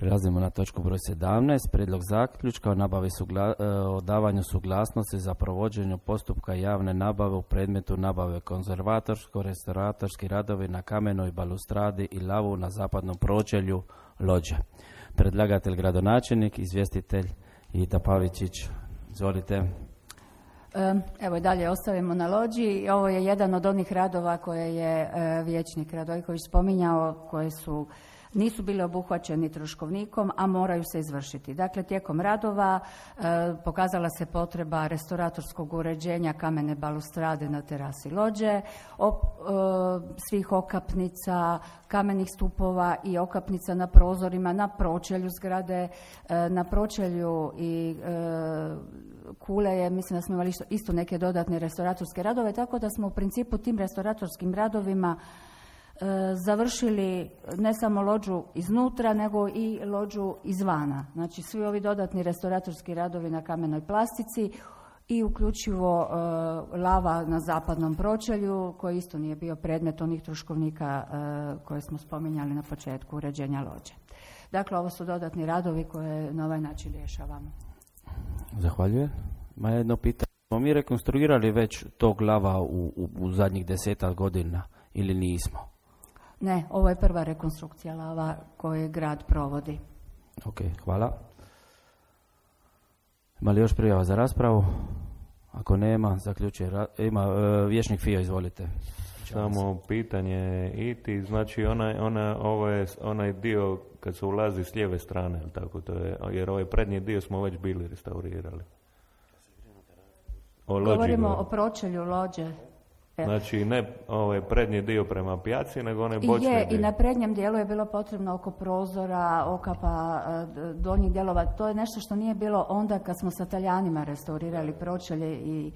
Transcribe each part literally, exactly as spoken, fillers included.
Prelazimo na točku broj sedamnaest. Prijedlog zaključka o nabavi sugla, o davanju suglasnosti za provođenje postupka javne nabave u predmetu nabave konzervatorsko-restauratorski radovi na kamenoj balustradi i lavu na zapadnom pročelju Lođe. Predlagatelj gradonačelnik, izvjestitelj Ita Pavičić. Izvolite. Evo i dalje ostavimo na Lođi. Ovo je jedan od onih radova koje je vijećnik Radojković spominjao, koje su nisu bili obuhvaćeni troškovnikom, a moraju se izvršiti. Dakle, tijekom radova e, pokazala se potreba restauratorskog uređenja kamene balustrade na terasi Lođe, op, e, svih okapnica, kamenih stupova i okapnica na prozorima, na pročelju zgrade, e, na pročelju i e, kule je, mislim da smo imali isto, isto neke dodatne restauratorske radove, tako da smo u principu tim restauratorskim radovima završili ne samo Lođu iznutra, nego i Lođu izvana. Znači, svi ovi dodatni restauratorski radovi na kamenoj plastici i uključivo uh, lava na zapadnom pročelju, koji isto nije bio predmet onih troškovnika uh, koje smo spominjali na početku uređenja Lođe. Dakle, ovo su dodatni radovi koje na ovaj način rješavamo. Zahvaljujem. Ma jedno pitanje. Smo mi rekonstruirali već tog lava u, u, u zadnjih desetak godina ili nismo? Ne, ovo je prva rekonstrukcija lava koju grad provodi. Ok, hvala. Ima li još prijava za raspravu? Ako nema, zaključuje. Ra- ima uh, vijećnik Fio, izvolite. Samo pitanje Iti, znači onaj, ona, ovo je onaj dio kad se ulazi s lijeve strane, tako to je, jer ovaj prednji dio smo već bili restaurirali. O Lođi govorimo go. o pročelju Lođe. Znači ne ovaj prednji dio prema pijaci, nego onaj bočni dio. Je, i na prednjem dijelu je bilo potrebno oko prozora, okapa, donjih dijelova. To je nešto što nije bilo onda kad smo sa Talijanima restaurirali pročelje i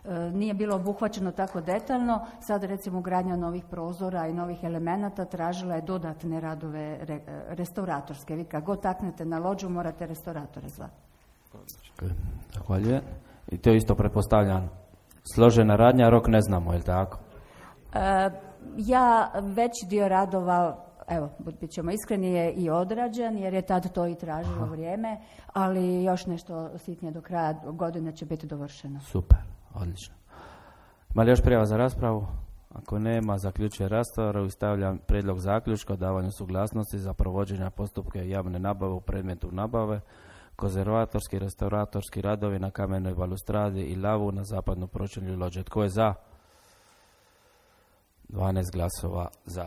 e, nije bilo obuhvaćeno tako detaljno. Sad recimo ugradnja novih prozora i novih elemenata tražila je dodatne radove re, restauratorske. Vi kad god taknete na Lođu morate restauratore zvati. Zahvaljujem. I to isto pretpostavljam. Složena radnja, rok ne znamo, je li tako? E, ja veći dio radova, evo, bit ćemo iskreni, je i odrađen, jer je tad to i tražilo Aha. vrijeme, ali još nešto sitnije do kraja godine će biti dovršeno. Super, odlično. Ima li još prijava za raspravu? Ako nema, zaključuje raspravu i stavljam prijedlog zaključka o davanju suglasnosti za provođenje postupka javne nabave u predmetu nabave, konzervatorski, restauratorski radovi na kamenoj balustradi i lavu na zapadnom pročelju Lođe. Tko je za? dvanaest glasova za.